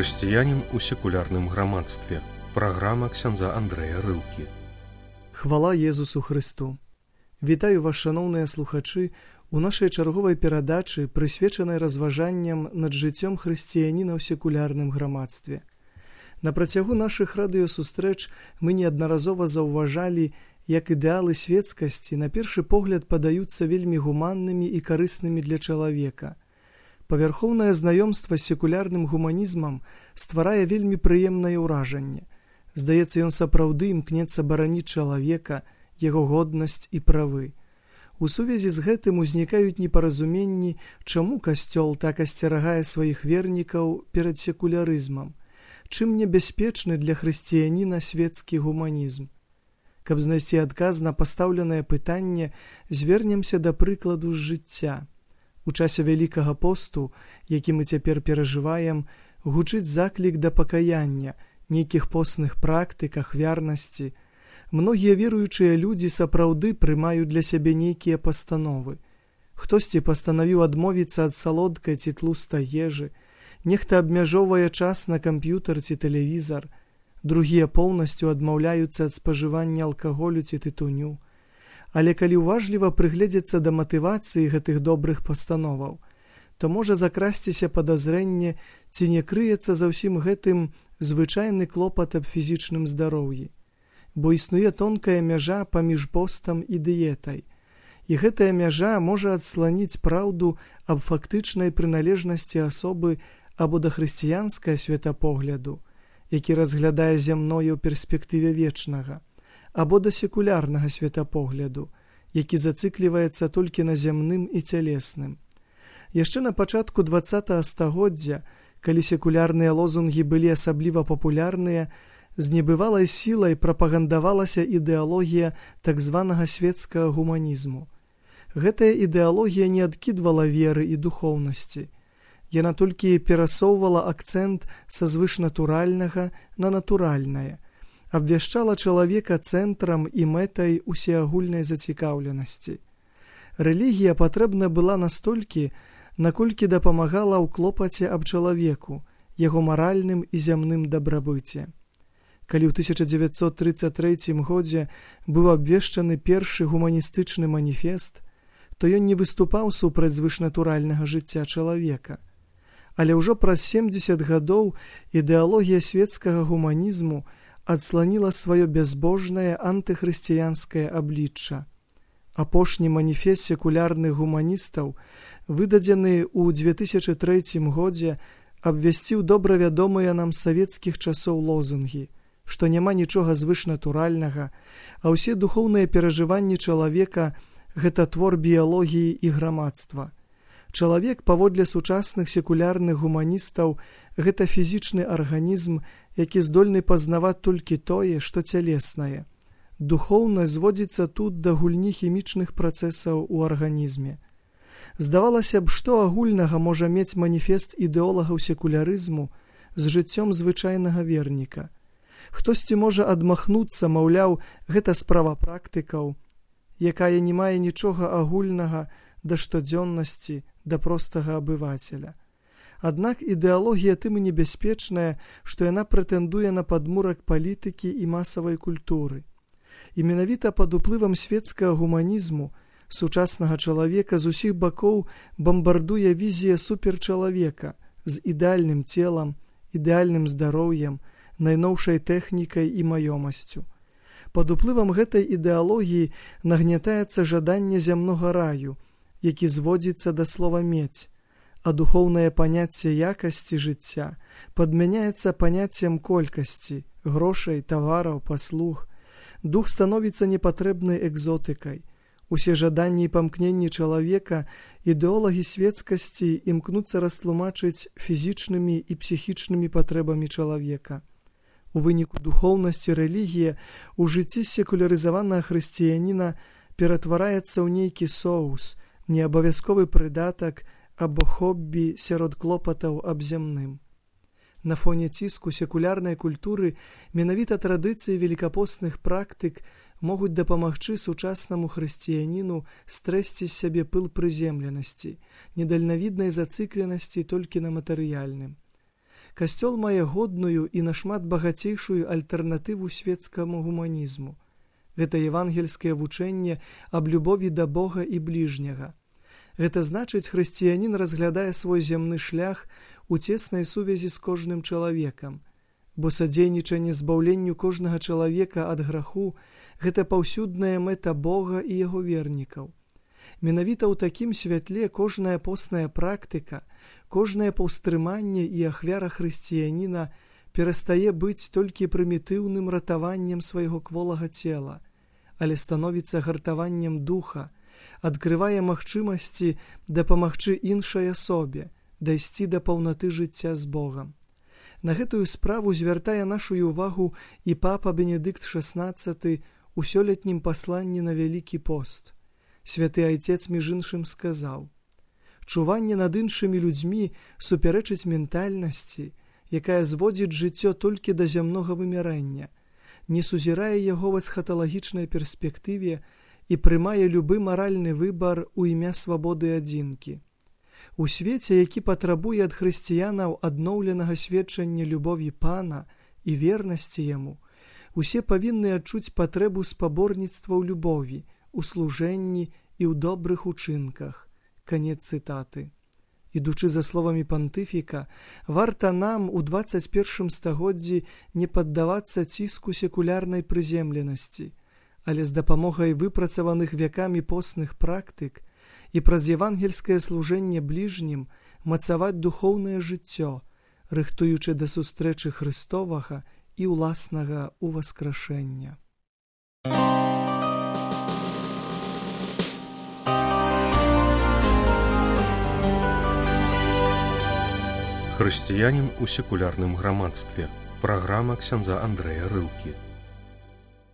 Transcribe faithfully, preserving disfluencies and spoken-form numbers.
Хрысціянін у секулярным грамадстве. Праграма ксяндза Андрэя Рылкі. Хвала Езусу Хрысту! Вітаю вас, шаноўныя слухачы, у нашай чарговай перадачы, прысвечанай разважанням над жыццём хрысціяніна ў секулярным грамадстве. На працягу нашых радыёсустрэч мы неаднаразова заўважалі, як ідэалы светскасці на першы погляд падаюцца вельмі гуманнымі і карыснымі для чалавека. Павярхоўнае знаёмства з секулярным гуманізмам стварае вельмі прыемнае ўражанне. Здаецца, ён сапраўды імкнецца бараніць чалавека, яго годнасць і правы. У сувязі з гэтым узнікаюць непаразуменні, чаму касцёл так асцерагае сваіх вернікаў перад секулярызмам, чым небяспечны для хрысціяніна свецкі гуманізм. Каб знайсці адказ на пастаўленае пытанне, звернемся да прыкладу з жыцця. У часе Вялікага посту, які мы цяпер перажываем, гучыць заклік да пакаяння, нейкіх постных практык, ахвярнасці. Многія веруючыя людзі сапраўды прымаюць для сябе нейкія пастановы. Хтосьці пастанавіў адмовіцца ад салодкай ці тлустай ежы, нехта абмяжоўвае час на камп'ютар ці тэлевізар, другія поўнасцю адмаўляюцца ад спажывання алкаголю ці тытуню. Але калі ўважліва прыгледзецца да матывацыі гэтых добрых пастановаў, то можа закрасціся падазрэнне, ці не крыецца за ўсім гэтым звычайны клопат аб фізічным здароўі. Бо існуе тонкая мяжа паміж постам і дыетай. І гэтая мяжа можа адсланіць праўду аб фактычнай прыналежнасці асобы або да хрысціянскага светапогляду, які разглядае зямное ў перспектыве вечнага, або да секулярнага светапогляду, які зацыкліваецца толькі на зямным і цялесным. Яшчэ на пачатку дваццатага стагоддзя, калі секулярныя лозунгі былі асабліва папулярныя, з небывалай сілай прапагандавалася ідэалогія так званага светскага гуманізму. Гэтая ідэалогія не адкідвала веры і духоўнасці. Яна толькі перасоўвала акцэнт са звышнатуральнага на натуральнае, абвяшчала чалавека цэнтрам і мэтай усеагульнай зацікаўленасці. Рэлігія патрэбна была настолькі, наколькі дапамагала ў клопаце аб чалавеку, яго маральным і зямным дабрабыце. Калі ў тысяча дзевяцьсот трыццаць трэцім годзе быў абвешчаны першы гуманістычны маніфест, то ён не выступаў супраць звышнатуральнага жыцця чалавека. Але ўжо праз семдзесят гадоў ідэалогія свецкага гуманізму адсланіла сваё бязбожнае антыхрысціянскае аблічча. Апошні маніфест секулярных гуманістаў, выдадзены ў дзве тысячы трэцім годзе, абвясціў добра вядомыя нам з савецкіх часоў лозунгі, што няма нічога звышнатуральнага, а ўсе духоўныя перажыванні чалавека – гэта твор біялогіі і грамадства. Чалавек, паводле сучасных секулярных гуманістаў, гэта фізічны арганізм, які здольны пазнаваць толькі тое, што цялеснае. Духоўнасць зводзіцца тут да гульні хімічных працэсаў у арганізме. Здавалася б, што агульнага можа мець маніфест ідэолагаў секулярызму з жыццём звычайнага верніка. Хтосьці можа адмахнуцца, маўляў, гэта справа практыкаў, якая не мае нічога агульнага да штодзённасці, да простага абывацеля. Аднак ідэалогія тым і небяспечная, што яна прэтэндуе на падмурак палітыкі і масавай культуры. І менавіта пад уплывам свецкага гуманізму сучаснага чалавека з усіх бакоў бамбардуе візія суперчалавека з ідэальным целам, ідэальным здароўем, найноўшай тэхнікай і маёмасцю. Пад уплывам гэтай ідэалогіі нагнятаецца жаданне зямнога раю, які зводзіцца да слова «мець», а духоўнае паняцце якасці жыцця падмяняецца паняццем колькасці, грошай, тавараў, паслуг. Дух становіцца непатрэбнай экзотыкай. Усе жаданні і памкненні чалавека ідэолагі светскасці імкнуцца растлумачыць фізічнымі і псіхічнымі патрэбамі чалавека. У выніку духоўнасці рэлігія ў жыцці секулярызаванага хрысціяніна ператвараецца ў нейкі соус, неабавязковы прыдатак або хоббі сярод клопатаў аб зямным. На фоне ціску секулярнай культуры менавіта традыцыі велікапостных практык могуць дапамагчы сучаснаму хрысціяніну стрэсці з сябе пыл прыземленасці, недальнавіднай зацыкленасці толькі на матэрыяльным. Касцёл мае годную і нашмат багацейшую альтэрнатыву светскаму гуманізму. Гэта евангельскае вучэнне аб любові да Бога і бліжняга. Гэта значыць, хрысціянін разглядае свой зямны шлях у цеснай сувязі з кожным чалавекам, бо садзейнічанне збаўленню кожнага чалавека ад граху – гэта паўсюдная мэта Бога і яго вернікаў. Менавіта ў такім святле кожная постная практыка, кожнае паўстрыманне і ахвяра хрысціяніна перастае быць толькі прымітыўным ратаваннем свайго кволага цела, але становіцца гартаваннем духа, адкрывае магчымасці дапамагчы іншай асобе, дайсці да паўнаты жыцця з Богам. На гэтую справу звяртае нашу увагу і папа Бенедыкт шаснаццаты у сёлетнім пасланні на Вялікі пост. Святы Айцец між іншым сказаў: «Чуванне над іншымі людзьмі супярэчыць ментальнасці, якая зводзіць жыццё толькі да зямнога вымярэння, не сузірае яго ў эсхаталагічнай перспектыве і прымае любы маральны выбар у імя свабоды адзінкі. У свеце, які патрабуе ад хрысціянаў адноўленага сведчання любові Пана і вернасці яму, усе павінны адчуць патрэбу спаборніцтва ў любові, у служэнні і ў добрых учынках». Канец цытаты. Ідучы за словамі пантыфіка, варта нам у дваццаць першым стагоддзі не паддавацца ціску секулярнай прыземленасці, але з дапамогай выпрацаваных вякамі постных практык і праз евангельскае служэнне бліжнім мацаваць духоўнае жыццё, рыхтуючы да сустрэчы Хрыстовага і ўласнага ўваскрашэння. Хрысціянін у секулярным грамадстве. Праграма ксяндза Андрэя Рылкі.